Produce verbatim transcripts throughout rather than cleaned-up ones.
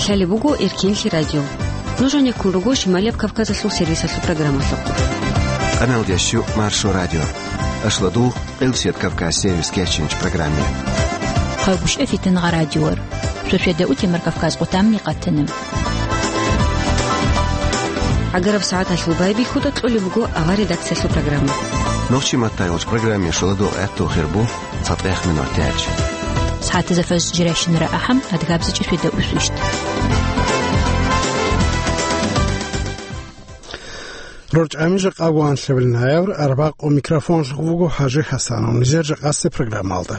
Лъалеб буго Эркенлъи радио. Нуж гьанеккун руго Шималияб Кавказалъул сервисалъул программалъухъ. Къаналдияс щу Маршо радио. Ашлодул, Къилсият Кавказ сервис кечинч программе. Хъагушев Фитнагъа радиор. Шошеда утемар Кавказ къутамни къатана. ГӀагараб сагӀаталъул байбихьуда кьолеб буго авар редакциялъул программа. Нохчи маттайгъуч программе шоладул гӀаттул хирбу. ЦатӀех минут тяч. СагӀатазда фажр жирайщинара ахӀам, адгабзичӀеб шведа усвищт. РорчӀами жакъа ванлъабил ноябрь, арбакъо микрофонлъухъ вуго ХӀажи ХӀасанов. Нижер жакъасе программалда.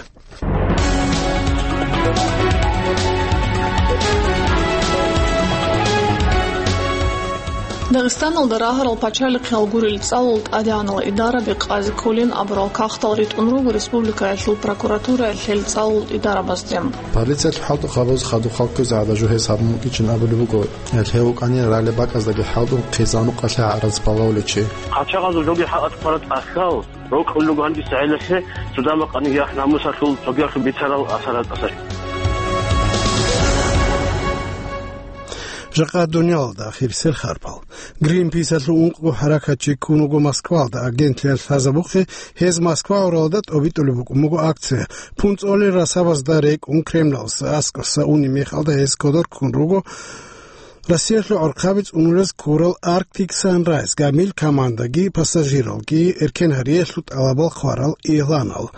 Дагъистаналда рагьарал пачалихъал гурел цӀалул тӀадегӀанал идараби къази кколин абурал кагътал ритӀун руго республикаялъул прокуратураялъ гьел цӀалул идарабазде. Полициялъул хӀалтӀухъабаз хадуб халкъизе гӀадажу гьес гьабун букӀинчӀин абулеб буго, гьел гьев вукӀанин ралеб бакӀаздаги хӀалтӀун хъизан-нукъалъе гӀарац балагьулев чи. Къачагъазул жоги хӀакъат хъвараб тӀахьал рокьулего гьанже гӀелалъе цо дамахъани яхӀ-намусалъул цогиялъул бицарал асар гьатӀаса. Жакъа дуниялалда ахирисел харпал. Гринписалъул ункъго хӀаракатчи ккун вуго Москвалда. Агентлъиялъ лъазабухъе, гьез Москва гӀуралда тӀобитӀулеб букӀун буго акция. ПунцӀолел расабазда рекӀун Кремлалъ аскӀоса унеб мехалда гьез кодор ккун руго Россиялъул гӀурхъаби цӀунулес ккурал Arctic Sunrise гамил командаги пассажиралги эркен гьариялъул тӀалабал хъварал игъланал.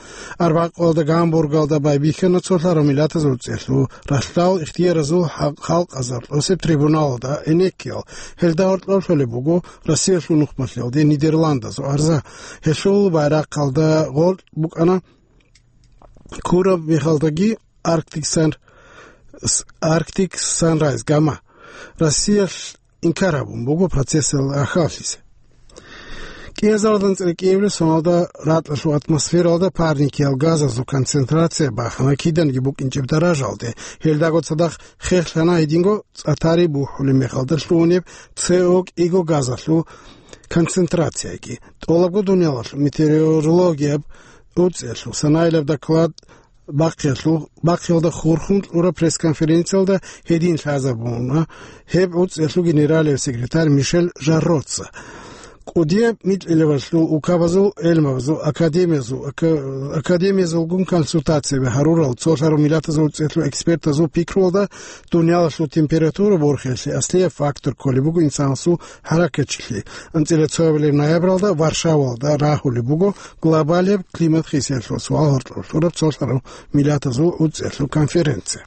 Арбакъалда Гамбургалда байбихьана цолъарав миллатазул цӀелъул ралъдал ихтияразул хал-, халкъазул тӀосеб трибуналалда гӀенеккиял. Гьелда гьоркьоб лъолеб буго Россиялъул нухмалъиялде Нидерландазул арза. Гьелъул байрахъалда гъоркь букӀана ккураб мехалдаги Arctic Sun-, с-, Arctic Sunrise гама. Россиялъ инкар гьабун буго процессалда рахьаллъизе. КӀиазаралда анцӀила кӀиабилеб соналда ракьалъул атмосфералда парникиял газазул концентрация бахана киданиги букӀинчӀеб даражалде. Гьелдаго цадахъ хехлъана гьединго цӀа-тари бухӀулеб мехалда лъугьунеб С О кӀиго газалъул концентрацияги. ТӀолабго дуниялалъул метеорологияб уцӀиялъул санаилаб доклад бахъиялъул, бахъиялда хурхун кьураб пресс-конференциялда гьедин лъазабуна гьеб уцӀиялъул генералияв секретарь Мишель Жарроца. КӀудияб микьилабалъул, улкабазул гӀелмабазул, академиязул, ака-, академиязулгун консультацияби гьарурал цолъарав миллатазул цӀелъул экспертазул пикруялда дуниялалъул температура борхиялъе аслияб фактор кколеб буго инсанасул хӀаракатчилъи. АнцӀила цоябилеб ноябралда Варшавалда рагьулеб буго глобалияб климат хисиялъул суал гьоркьоб лъураб цолъарав миллатазул уцӀиялъул конференция.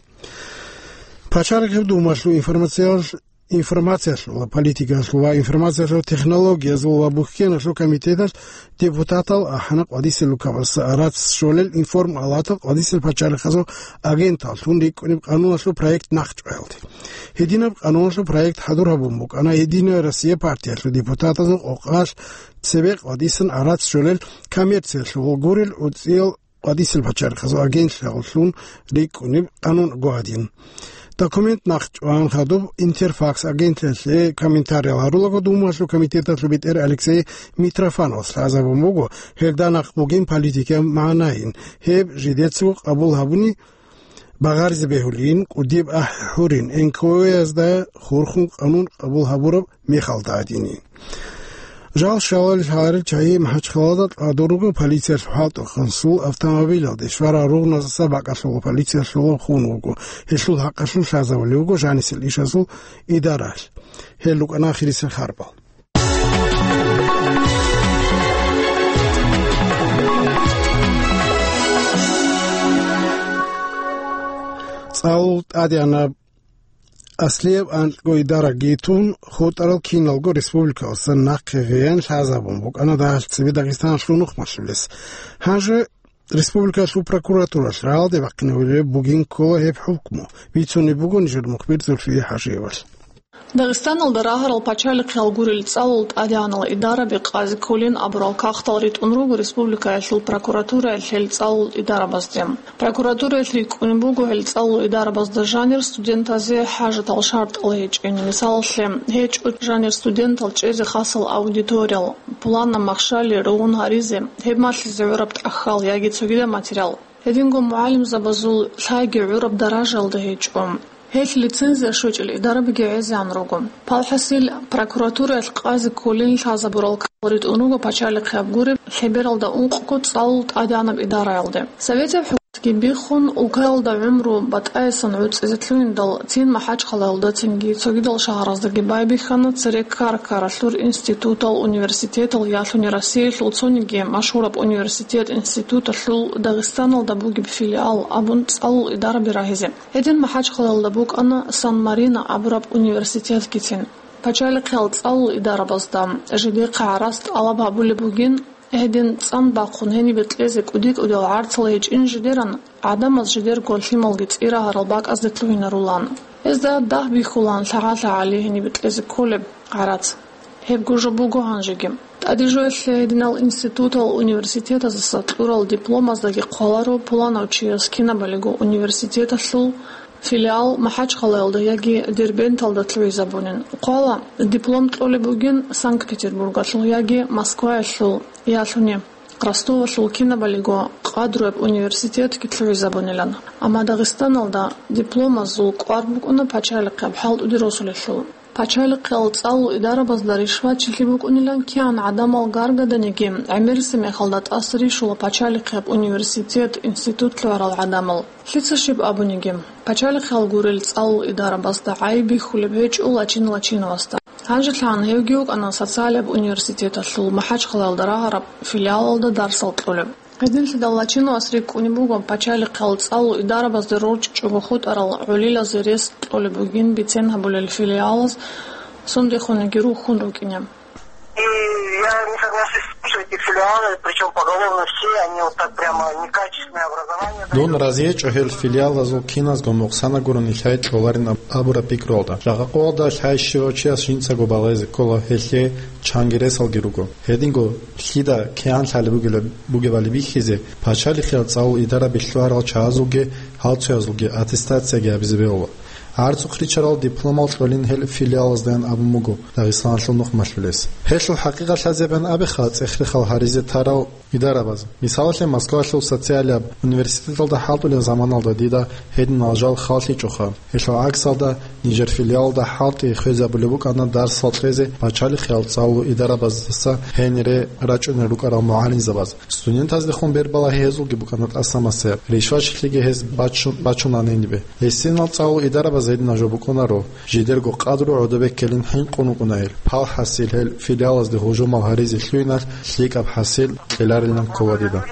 Пачалихъ Думалъул информациялъ-, информациялъул, политикаялъул ва информациялъул технологиязул ва бухьеналъул комитеталъ депутатал ахӀана къвадисел улкабаз арац щолел информалатал къвадисел пачалихъазул агенталлъун рикӀкӀунеб къануналъул проект нахъчӀваялде. Гьединаб къануналъул проект хӀадур гьабун букӀана Единая Россия партиялъул депутатазул къокъалъ цебе къвадисан арац щолел коммерциялъул гурел уцӀиял къвадисел пачалихъазул агентлъиялъун рикӀкӀунеб къанун гьадин. Документ нахъчӀван хадуб Интерфакс агентлъиялъе комментариял гьарулаго Думалъул комитеталъул бетӀер Алексей Митрофановас лъазабун буго, гьелда нахъ бугин политикаяб магӀнайин, гьеб жидецаго къабул гьабуни багъаризе бегьулин, кӀудияб ахӀи гьурин, Н К О-язда хурхун къанун къабул гьабураб мехалда гьадинин. Жал щалалел гьарил чагьи МахӀачхъалада кьадун руго полициялъул хӀалтӀухъанлъул автомобилалде, шварал ругъназаса бакӀалъула полициялъула хун вуго. Гьелъул хӀакъалъулъ лъазабулев вуго жанисел ишазул идаралъ. Гьел рукӀана ахирисел харпал. ЦӀалул тӀадегӀанаб аслияб анкьго идараги тун, хутӀарал киналго республикалдасан нахъе гъеян лъазабун букӀана дагьалъ цебе Дагъистаналъул нухмалъулес. Гьанже республикалъул прокуратуралъ рагӀалде бахъинабулеб бугин ккола гьеб хӀукму, бицунеб буго нижер мухбир Зульфие ХӀажиевалъ. Дагъистаналда рагьарал пачалихъал гурел цӀалул тӀадегӀанал идараби къази кколин абурал кагътал ритӀун руго республикаялъул прокуратураялъ гьел цӀалул идарабазде. Прокуратураялъ рикӀкӀунеб буго гьел цӀалул идарабазда жанир студентазе хӀажатал шартӀал гьечӀин. Мисалалъе, гьечӀо жанир студентал чӀезе хасал аудиториял, пуланаб махщел ругъун гьаризе, гьеб малъизе гӀураб тӀахьал яги цогидаб материал. Гьединго мугӀалимзабазул лъайги гӀураб даражалда гьечӀо. Гьелъ лицензия щвечӀел идарабиги гӀезегӀан руго. Палхасил, прокуратураялъ къазе кколин лъазабурал ккал ритӀун руго пачалихъияб гуреб лъебералда ункъго цӀалул тӀадегӀанаб идараялде. Советияб хӀукуматги биххун, улкаялда гӀумру батӀаясан гӀуцӀизе лъугьиндал, цин МахӀачхъалаялдацинги цогидал шагьараздаги байбихьана цере ккара-ккаралъур институтал, университетал, ялъуни Россиялъул цониги машгьураб университет-институталъул Дагъистаналда бугеб филиал абун цӀалул идараби рагьизе. Гьедин МахӀачхъалаялда букӀана Сан-Марино абураб университетгицин. Пачалихъиял цӀалул идарабазда жидехъа гӀарац тӀалаб гьабулеб бугин, гьедин цӀан бахъун гьенибе кьезе кӀуди-кӀудиял гӀарцал гьечӀин жидеран, гӀадамаз жидерго лъималги цӀира гьарал бакӀазде лъугьинарулан. Гьезда дагь бихьулаан лъагӀа-лъагӀали гьенибе кьезе кколеб гӀарац. Гьебго жо буго гьанжеги. ТӀаде жоялъе гьединал институтал, университетаздаса кьурал дипломаздаги хъваларо пуланав чияс кинабалиго университеталъул филиал МахӀачхъалаялда яги Дербенталда лъугьизабунин. Хъвала, диплом кьолеб бугин Санкт-Петербургалъул яги Москваялъул, ялъуни Ростовалъул кинабалиго къадруяб университетги лъугьизабунилан. Амма Дагъистаналда дипломазул кӀвар букӀуна пачалихъияб хӀалтӀуде росулелъул. Пачалихъиял цӀалул идарабазда ришватчилъи букӀунилан кигӀан гӀадамал гаргаданиги, гӀемерисеб мехалда тӀаса рищула пачалихъияб университет, институт лъугӀарал гӀадамал. Лъица щиб абуниги, пачалихъиял гурел цӀалул идарабазда гӀайиб бихьулеб гьечӀо Лачин Лачиновасда. ГьанжелъагӀан гьевги вукӀана социалияб университеталъул МахӀачхъалаялда рагьараб филиалалда дарсал кьолеб. Гьединлъидал Лачиновас рикӀкӀунеб буго пачалихъиял цӀалул идарабазде рорчӀичӀого хутӀарал гӀолилазе рес кьолеб бугин бицен гьабулел филиалаз сундехунги рухьун рукӀине. И я не соглашусь с тем, что эти филиалы, причём поголовно все, они вот так прямо некачественное образование дают. Дун разиечӀо гьел филиалазул киназго нукъсана гурони лъай кьоларин аб-, абураб пикруялда. Жакъа къоялда лъай щивав чияс жинцаго балагьизе ккола, гьелъе чанги ресалги руго. Гьединго лъида кигӀан лъалеб бугела-, бугебали бихьизе, пачалихъиял цӀалул идараби лъугӀарал чагӀазулги гьалцоязулги аттестацияги гьабизе бегьула. ГӀарцухъ ричарал дипломал кьолин гьел филиалаздаян абун буго Дагъистаналъул нух малъулес. Гьелъул хӀакъикъат лъазабиан абиха цӀех-рехал гьаризе тарал идарабаз. Мисалалъе, Москвалъул социалияб университеталда хӀалтӀулеб заманалда дида гьединал жал халлъичӀоха. Гьелъул гӀаксалда, нижер филиалалда хӀалтӀи хвезабулеб букӀана дарсал кьезе пачалихъиял цӀалул идарабаздаса гьенире рачӀунел рукӀарал мугӀалимзабаз. Студентаздехун бербалагьи гьезулги букӀана тӀаса-масаяб, ришвачилъиги гьез бачун-, бачуна гьенибе. Гьесинал цӀалул идарабаз гьединал жо букӀунаро, жидерго къадру гӀодобе ккелин хӀинкъун вукӀуна гьел. Палхасил гьел филиалазде гьужумал гьаризе лъугьиналъ лъикӀаб хӀасил кьеларилан ккола дида.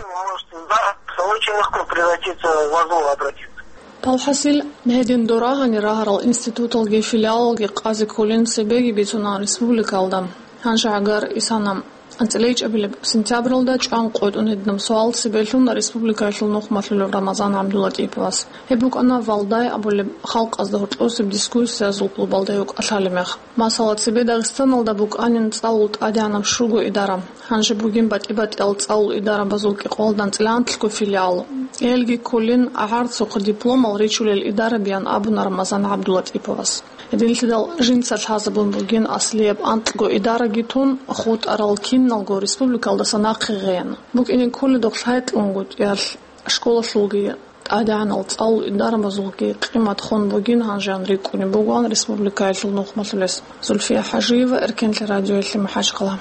Очень легко превратиться в АЗОВ обратиться. Палхасил, гьедин дора гьанир рагьарал институталги филиалалги къазе кколин цебеги бицуна республикалда. Гьанже гӀагар исана. АнцӀила ичӀабилеб сентябралда чӀван къотӀун гьединаб суал цебелъун республикаялъул нух малъулев Рамазан ГӀабдулатӀиповас. Гьеб букӀана Валдай абулеб халкъазда гьоркьосеб дискуссиязул клубалда гьев кӀалъалеб мех. Масала, цебе Дагъистаналда букӀанин цӀалул тӀадегӀанаб щуго идара. Гьанже бугин батӀи-батӀиял цӀалул идарабазул кӀикъоялда анцӀила анлъго филиал. Гьелги кколин гӀарцухъ дипломал ричулел идарабиян абуна Рамазан ГӀабдулатӀиповас. Гьединлъидал жинца лъазабун бугин аслияб анкьго идараги тун, хутӀарал киналго республикалдаса нахъе гъеян. БукӀине кколедухъ лъай кьун гутӀиялъ школалъулги, тӀадегӀанал цӀалул идарабазулги къимат хун бугин гьанжеян рикӀкӀунеб бугоан республикаялъул нухмалъулес. Зульфия ХӀажиева, Эркенлъи радиоялъе, МахӀачхъала.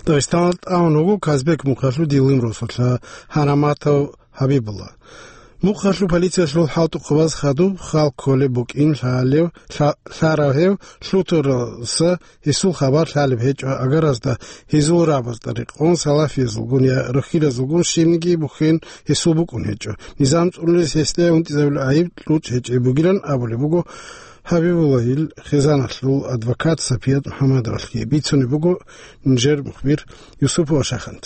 Дагъистаналда тӀамун вуго Казбек мухъалъув Дилим росулъа Гьараматов ХӀабибулла. Мухъалъув полициялъул хӀалтӀухъабаз хадуб хал кколеб букӀин лъалев, лъа-, лъарав гьев лъутаралдаса гьесул хабар лъалеб гьечӀо агаразда, гьезул рагӀабазда рекъон салафиязулгун я рохьилазулгун щибниги бухьен гьесул букӀун гьечӀо. Низам цӀунулес гьесда унтӀизабулеб гӀайиб кьучӀ гьечӀеб бугилан абулеб буго ХӀабибуллагьил хъизаналъул адвокат Сапият МухӀаммадовалъги. Бицунеб буго нижер мухбир Юсупова Шахант.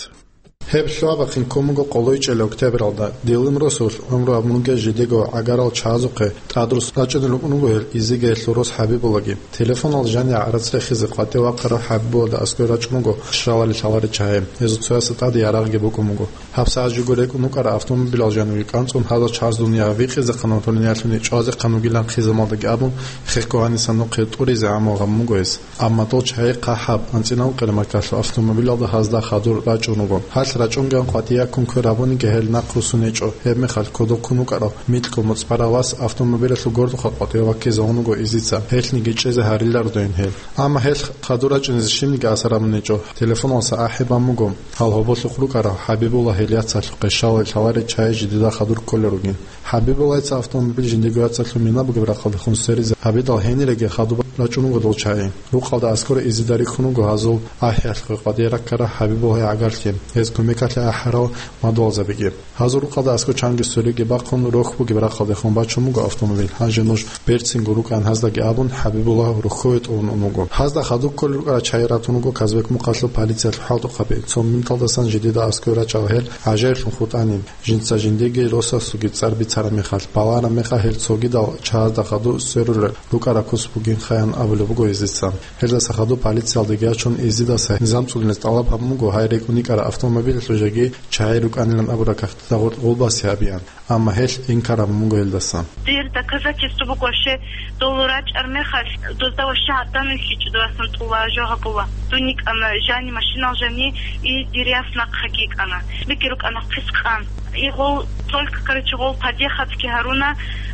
Гьеб лъугьа-бахъин ккун буго къоло ичӀел октябралда. Дилим росулъ гӀумру гьабун ругел жидего гӀагарал чагӀазухъе тӀадрус рачӀунел рукӀун руго гьел Изигаялъул рос ХӀабибуллаги. Телефонал жанив гӀарац рехизе къватӀив вахъарав ХӀабибуллада аскӀове рачӀун руго щаларел-лъаларел чагӀи. Гьезул цоясда тӀаде ярагъги букӀун буго. ГьабсагӀат жого рекӀун вукӀарав автомобилал жанивги кӀанцӀун гьазал чагӀаз дунияги викъизехъан ва дунялъуни чӀвазехъан вугилан хъизамалдаги абун, хехго гьаниса нухъе тӀуризе гӀамал гьабун буго гьес. Амма дол чагӀи хъахӀаб, анцӀила ункъабилеб маркалъул автомобилалда гьазда хадур рачӀун руго. Гьалъ РачӀунгеян къватӀияккун квер гьабуниги гьел нахъ руссун гьечӀо. Гьебмехалъ кодоб ккун вукӀарав микьго моцӀ барав вас автомобилялъул гордухъа къватӀиве ваккизе унго изица. Гьелъниги чӀезе гьариларо дойин гьел. Амма гьел хадур рачӀине щибниги асар гьабун гьечӀо. Телефоналдаса ахӀи бан буго гьал гьоболлъухъ рукӀарав ХӀабибуллагь гьел яцалъухъе щалал лъаларел чагӀи жидеда хадур кколел ругин. ХӀабибуллагьица автомобиль жиндирго яцалъул мина бугеб рахъалдехун сверизе гьабидал гьениреги хадуб рачӀун руго дол чагӀи. Рукъалда аскӀоре изида рихьун руго гьазул ахӀиялъухъе къватӀие раккарал ХӀабибуллагьил гӀагарлъи. Гьез кумекалъе ахӀарал мадугьалзабиги. Гьазул рукъалда аскӀор чанги свериги бахъун, рохь бугеб рахъалдехун бачун буго автомобиль. Гьанже нуж берцинго рукӀан гьаздаги абун, ХӀабибуллагь рохьове тӀун ун вуго. Гьазда хадуб кколел рукӀарал чагӀи ратун руго Казбек мухъалъул полициялъул хӀалтӀухъаби. Цо минуталдасан жидеда аскӀоре рачӀарал гьел гӀажаиблъун хутӀанин. Жинца жиндиеги росасулги цӀар бицараб мехалъ, балараб мехалъ гьел цогидал чагӀазда хадуб сверулел рукӀараб куц бугин хаян абулеб буго гьезица. Гьелдаса хадуб полициялдаги ячун, изидаса низам цӀунизе тӀалаб гьабун буго гьай рекӀун йикӀараб автомобилалъул жеги чагӀи рукӀанилан абураб кагътида гъоркь гъулбазе гьабеян. Амма гьелъ инкар гьабун буго гьелдаса. Дир доказательство буго вообще, дол рачӀараб мехалъ, дозда вообще гӀадан вихьичӀо, дов асан тӀула, жо гьабула. Дун йикӀана жани машинал жани, и дир яс нахъеги йикӀана. Бекки рукӀана хъис къан. И гъол только, короче, гъол подъехатги гьаруна,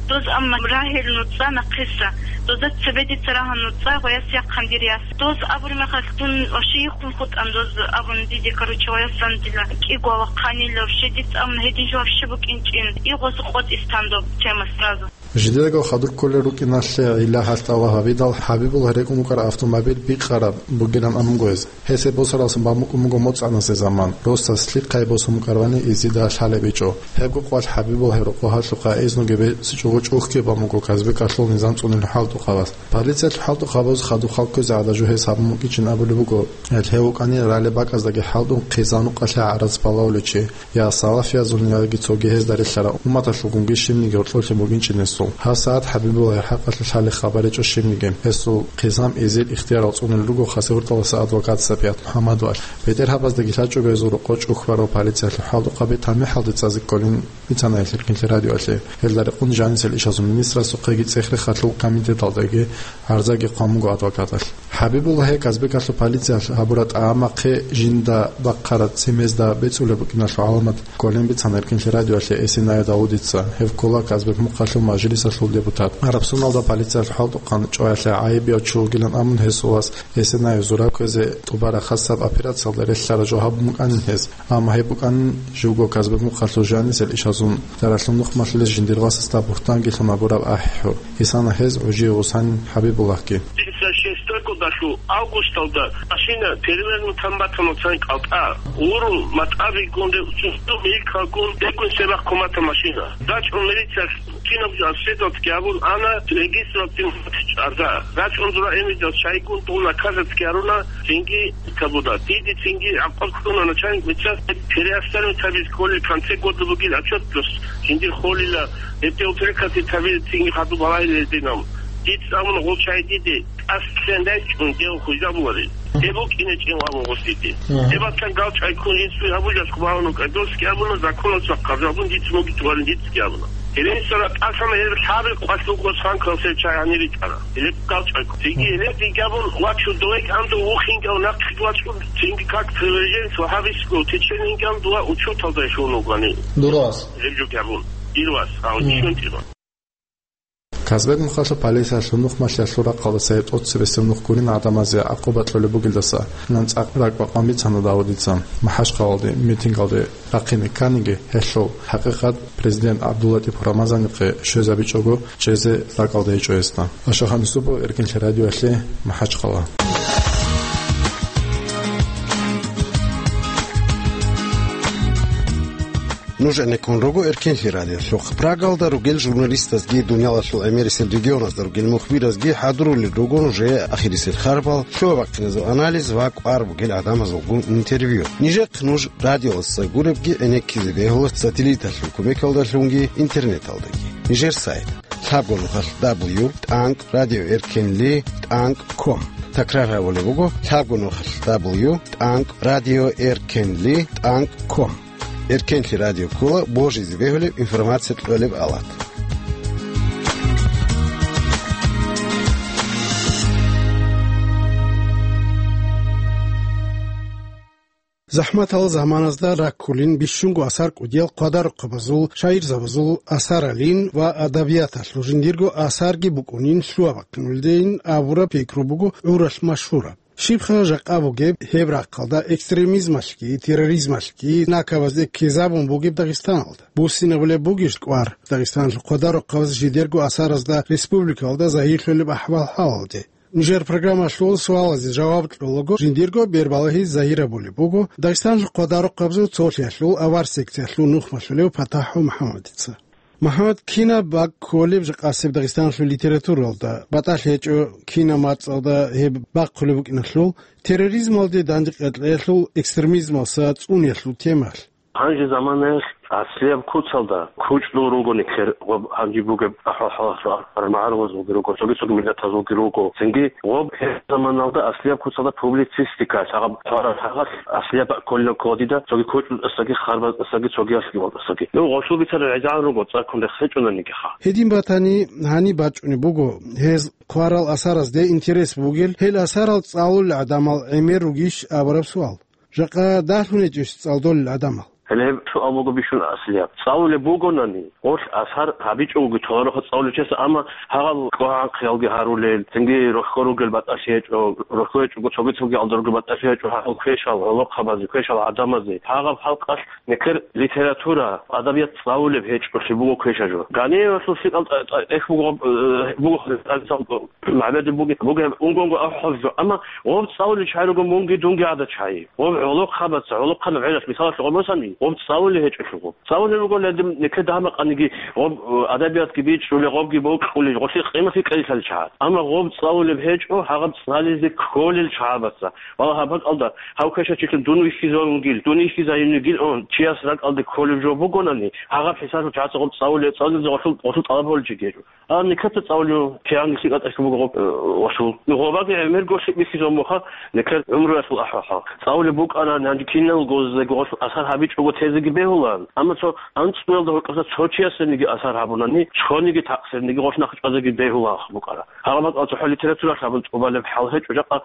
доз амма рагьел нуцӀа нахъиса. Дозда цебе дица рагьун нуцӀа, гъояс яхъан дир яс. Доз абураб мехалъ дун вообще йихъун хутӀан доз абун диде, короче, гъоясан дила кӀиго вахъанила вообще дица, амма гьедин жо вообще букӀинчӀин. И гъоз къотӀис тан доб тема сразу. Жидедаго хадур кколел рукӀиналъе гӀилла-хӀалтӀи тӀалаб гьабидал, ХӀабибуллагь рекӀун вукӀараб автомобиль бикъараб бугилан абун буго гьез. Гьесие босаралдасан бан букӀун буго моцӀ-гӀаназе заман. Росас лъихъай босун букӀарабани изида лъалеб гьечӀо. Гьебго къвалъ ХӀабибуллагьил рокъоб гьалъухъа эзнуги бецӀичӀого чӀухьги бан буго Казбекалъул низам цӀунилел хӀалтӀухъабаз. Полициялъул хӀалтӀухъабаз хадуб хал кквезе гӀадаб жо гьес гьабун букӀинчӀин абулеб буго, гьев вукӀанин ралли бакӀаздеги хӀалтӀун хъизан-нукъалъе гӀарац балагьулев чи. Я салафиязулин, яги цоги гьезда релълъарал умматалъулгунги щибниги гьоркьоблъи бугинчӀин гьесул. Гьасаат ХӀабибуллагьил хӀакъалъулъ лъалеб хабар гьечӀо щибниги. Гьесул хъизан эзел ихтиярал цӀунел руго Хасавюрталдаса адвокат Сапият МухӀаммадовалъ. БетӀергьабаздаги лъачӀого гьезул рокъоб чӀухь барав полициялъул хӀалтӀухъаби тамихӀалде цӀазе кколин бицана гьелъ Эркинлъи радиоялъе. Гьелда рекъон жанисел ишазул министрасухъеги цӀех-рехалъул комитеталдаги гӀарзаги хъван буго адвокаталъ. ХӀабибуллагьие Казбекалъул полициялъ гьабураб тӀагӀамахъе жинда бахъараб цемезда бецӀулеб букӀиналъул гӀаламат кколин бицана Эркинлъи радиоялъе Эсенай Давудица. Гьев ккола Казбек мухъалъул мажлисалъул депутат. Гьаб соналда полициялъул хӀалтӀухъан чӀваялъе гӀайибияв чи вугилан абун гьесул вас Эсенаев зураб кквезе тӀубараб хасаб операциялда релълъараб жо гьабун букӀанин гьес. Амма гьеб букӀанин живго Казбек мухъалъул жанисел ишазул даралъул нухмалъулез жиндир васасда бугьтангилъун гьабураб ахӀи-хӀур. Исана гьез гӀужие гъусанин ХӀабибуллагьги. Дица шестого году августалда машина перевернутан батана цан кӀалтӀа. Урун матӀабигун, милкалгун, дегун себахъ кумата машина. РачӀун милициялъ кинабго обследоватьги гьабун ана, регистралъ дин чӀарда. РачӀун дура эмидал чайгун тӀул наказатьги гьаруна, цинги кабуда. Диде цинги гӀакъуба кьуна начальник милициялъ переостанут гьабиз кколел конце года бугил отчеталъ. Жиндир холила, гьебде упрекати табил цинги хадуб балагьилел динам. Диц амун гъол чай диде, тӀасалъан рачӀун дев хвезабуларел. Гьеб букӀине чӀен абун гъосиде. Мгм. Гьеб батан галчӀай ккун инсуй гьабулелъ хъубагьун вукӀа. Досги абуна, законалъа хъаржабун диц моги тугъарин дицги абуна. Гьеле инсара тӀасана гьеб лъабил къвалъ вуго санкал сев чай гьанир ритӀара. Гьелеб галчӀай ккун. Цинги гьелеб дигабун вачун довек андо вухингал нахъе вачун, цинги как приверженец вагьабистского течения инган дуа учеталда щун вугани. Дурас. Гьеб жо гьабун. Ирвас, а, Мгм. ишун тӀирван. Казбек мухъалъул полициялъул нухмалъиялъул рахъалдаса гьеб тӀоцебесеб нух гурин гӀадамазе гӀакъуба кьолеб бугелдаса, нан цӀакъ ракӀ бакъан бицана Давудица МахӀачхъалалде митингалде рахъине кканиги, гьелъул хӀакъикъат президент ГӀабдуллатӀипов Рамазанихъе щвезабичӀого чӀезе ракӀалда гьечӀо гьесда. Ашахан Юсупов, Эркинлъи радиоялъе, МахӀачхъала. Нуж гӀенеккун руго Эркинлъи радиолъухъ. Прагалда ругел журналистазги, дуниялалъул гӀемерисел регионазда ругел мухбиразги хӀадурулел руго нужее ахирисел харбал, лъугьа-бахъиназул анализ ва кӀвар бугел гӀадамазулгун интервью. Нижехъ нуж радиоялдаса гуребги гӀенеккизе бегьула сателлиталъул кумекалдалъунги интернеталдаги. Нижер сайт: лъабго нухалъ дабл ю тӀанкӀ радио эркинли тӀанкӀ ком. Такрар гьабулеб буго: лъабго нухалъ дабл ю тӀанкӀ радио эркинли тӀанкӀ ком. Эркенлъи радио ккола божизе бегьулеб информация кьолеб алат. ЗахӀматал заманазда раккулин бищунго асар кӀудиял хъвадарухъабазул, шагьирзабазул асаралин ва адабияталъул жиндирго асарги букӀунин лъугьа-бахъиналдейин абураб пикру буго гӀуралъ машгьураб. Щибха жакъа бугеб гьеб рахъалда экстремизмалъги, терроризмалъги накабазде ккезабун бугеб Дагъистаналда? Буссинабулеб бугищ кӀвар Дагъистаналъул хъвадарухъабаз жидерго асаразда республикалда загьирлъулеб ахӀвал-хӀалалде? Нижер программалъул суалазе жаваб кьолаго, жиндирго бербалагьи загьирабулеб буго Дагъистаналъул хъвадарухъабазул цолъиялъул авар секциялъул нухмалъулев ПатахӀу МухӀаммадица. МухӀаммад, кинаб бакӀ кколеб жакъасеб Дагъистаналъул литературалда? БатӀалъи гьечӀо кинаб мацӀалда гьеб бахъулеб букӀиналъул, терроризмалде дандекъиялъул, экстремизмалса цӀуниялъул темаялъ. Гьанже заманаялъ аслияб куцалда кучӀдул руго никер гъоб гьанже бугеб ахӀвал-хӀалалъул армагӀарулазулги руго, цоги-цоги миллатазулги руго. Цинги гъоб гьеб заманалда аслияб куцалда публицистика, гьагъаб хъварал гьагъалъ аслияб бакӀ кколин ккола дида, цоги кучӀдутӀасаги, харбатӀасаги, цогиялъги ватӀасаги. Ну, гъолъул бицарал гӀезегӀан руго, цӀаккун рехсечӀунани гьаха. Гьедин батани, гьаниб бачӀунеб буго, гьез хъварал асаразде интерес бугел, гьел асарал цӀалулел гӀадамал гӀемер ругищ абураб суал. Жакъа дагьлъун гьечӀищ цӀалдолел гӀадамал? Гьеле гьеб суал буго бищун аслияб. ЦӀалулеб бугонани, гъолъ асар гьабичӀого толарухъа цӀалулев чияс, амма гьагъал кӀвагӀанхъиялги гьарулел, цинги рохьо ругел батӀалъи гьечӀо, рохьо гьечӀого цоги-цоги алдар ругел батӀалъи гьечӀо, гьагъал квешал, гӀолохъабазе, квешал гӀадамазе, гьагъаб халкъалъ никер литература, адабият цӀалулеб гьечӀолъи буго квешаб жо. Ганеевалъул лъикӀал тӀа-, тӀа-, тӀехь буго, э, буго, э, МагӀбеде буги-, бугеб унгонго ахӀвал жо. Амма гъоб цӀалулел чагӀи руго мунги дунги гӀадат чагӀи. Гъоб гӀолохъабаца, гӀолохъанаб гӀелалъ, мисалалъе гъоб босани, гъоб цӀалулей гьечӀелъул гъоб. ЦӀалулей руго гьедин нике дагьа-макъаниги, гъоб, э, адабиятги бичӀчӀулей, гъобги бокьулей, гъолъие къимат кьелилъали чагӀат. Амма гъоб цӀалулеб гьечӀо, гьагъаб цӀализе кколел чагӀабаца. Вала гьаб бакӀалда, гьав квешачилъун дун вихьизавунгил, дун вихьизайинигил он, чияс ракӀалде кколеб жо бугонани, гьагъаб хӀисабалъ чагӀаца гъоб цӀалулей, цӀалулезда гъолъул, гъолъул тӀалаб гьоличи гьечӀо. А, никаца цӀалулев кигӀанги лъикӀатӀалъи буго гъоб, э, гъолъул. Гъобаги гӀемерго лъикӀ бихьизабун буха, никер гӀумруялъул ахӀвал-хӀал. ЦӀалулеб букӀарани гьанже киналго гъоздаги гъолъул асар гьабичӀого тезеги бегьулаан. Амма цо анцӀгоялда гьоркьоса цо чиясениги асар гьабунани, цониги такъсирниги гъолъ нахъчӀвазеги бегьулаан букӀара. Гьагъаб бакӀал цохӀо литературалъ гьабун тӀубалеб хӀал гьечӀо жакъа.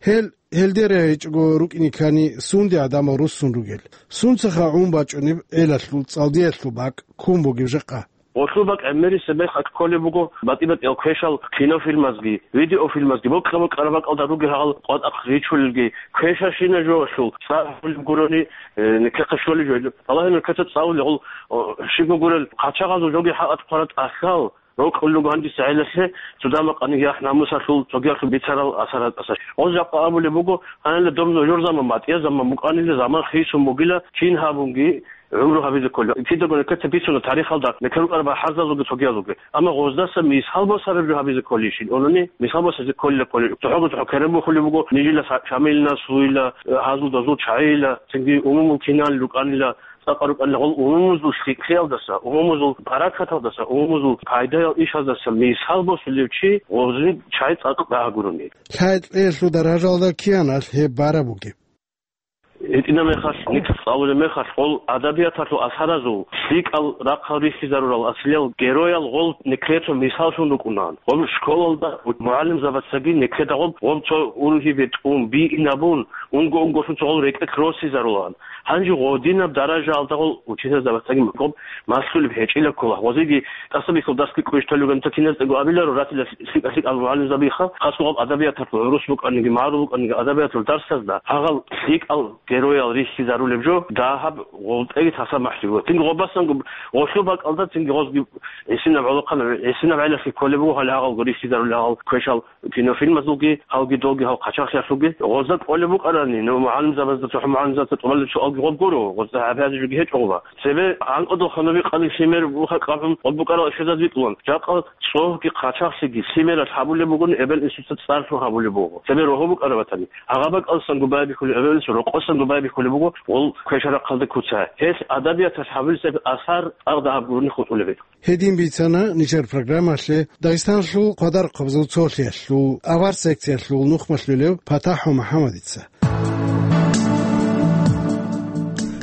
Гьел, гьелде рагӀичӀого рукӀине ккани, сунде гӀадамал руссун ругел. Сунцаха гӀун бачӀунеб гӀелалъул, цӀалдеялъул бакӀ ккун бугеб жакъа? Гъолъул бакӀ гӀемерисеб мехалъ кколеб буго батӀи-батӀиял квешал кинофильмазги, видеофильмазги, бокьа-бокьараб бакӀалда ругел гьагъал къватӀахъ ричулелги, квешащина жоялъул цӀар гьабулеб гурони, э, никехъе щолеб жо. Балагье, никеца цӀалулел гъол, о, щибго гурел, хъачагъазул жоги хӀакъат хъвараб тӀахьал, рокьулел руго гьанже гӀелалъе, цо дагьа-макъаниги яхӀ-намусалъул, цогиялъул бицарал асар гьатӀаса. Гъоз жакъа абулеб буго, гьанила доб нужер заман, батӀияб заман букӀанила, заман хисун бугила, кин гьабунги, гӀумру гьабизе кколел. Кидаго никеца бицуна тарихалда, никер рукӀараб бахӀарзазулги цогиязулги. Амма гъоздаса мисал босараб жо гьабизе кколейищин унани, мисал босизе кколила кколей. ЦохӀого-цохӀо керен бухулеб буго, нижила Са-, Шамилил наслуила, э, гьазул-дазул чагӀила, цинги умумул киналил рукӀанила, цӀакъа рукӀанила гъол умумузул лъикӀлъиялдаса, умумузул баракаталдаса, умумузул пайдаял ишаздаса мисал босулев чи гъозин чагӀи цӀакъ дагьа гурони. Лъайкьеялъул даражалда кианалъ гьеб бараб бугеб? ГьитӀинаб мехалъ, никер цӀалулеб мехалъ, гъол адабияталъул асаразул лъикӀал рахъал рихьизарурал асилел героял гъол никерго мисаллъун рукӀунаан. Гъол школалда мугӀалимзабацаги никеда гъоб, гъоб цо ургьибе тӀун, биинабун, унго-унгошлъун цо гъол рекӀелъ росизарулаан. Гьанже гъодинаб даражаялда гъол учительзабацаги гъоб малъулеб гьечӀила ккола. Гъозиги тӀасабихьул дарсги кӀвешталуган киназдаго абиларо, ратила лъикӀа-лъикӀал мугӀалимзабиха, хасго гъаб адабияталъул гӀурус букӀаниги, магӀарул букӀаниги, адабияталъул дарсазда гьагъал лъикӀал героял рихьизарулеб жо, дагьаб гъолтӀеги тасамахӀлъи буго. Цинги гъобасанго гъолъул бакӀалда цинги гъозги гӀисинаб гӀолохъанаб, гӀисинаб гӀелалъе кколеб буго гьале гьагъалго рихьизарулел гьагъал квешал кинофильмазулги, гьалги долги гьал хъачагълъиялъулги. Гъозда кӀолеб букӀарани, ну, мугӀалимзабазда, цохӀо мугӀалимзабазда тӀубалеб суалги гъоб гуро, гъозда гьабизе жоги гьечӀо гъоба. Цебе гӀанкӀудал хануби къани лъимер буха кӀвагӀун, гъоб букӀарал ишазаб бикьулан. Жакъа цогьги хъачагълъиги лъимералъ гьабулеб бугони, эбел-инсуца цӀарлъун гьабулеб буго. Цебе рогьо букӀарабатани, гьагъа бакӀалсанго байбихьулеб, эбел-инсу рокъосанго байбихьулеб буго, гъол квешарахъалда куца. Гьелъ адабияталъ гьабулесеб асар цӀакъ дагьаб гурони хутӀулеб. Гьедин бицана нижер программалъе Дагъистаналъул хъвадарухъабазул цолъиялъул авар секциялъул нухмалъулев ПатахӀу МухӀаммадица.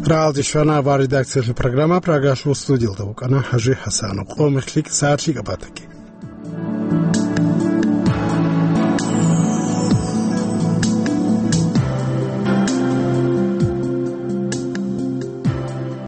Рагъалде щвана авар редакциялъул программа, Прагалъул студиялда вукӀана ХӀажи ХӀасанов. Къо-мех лъикӀ, сагӀат лъикӀаб батаги.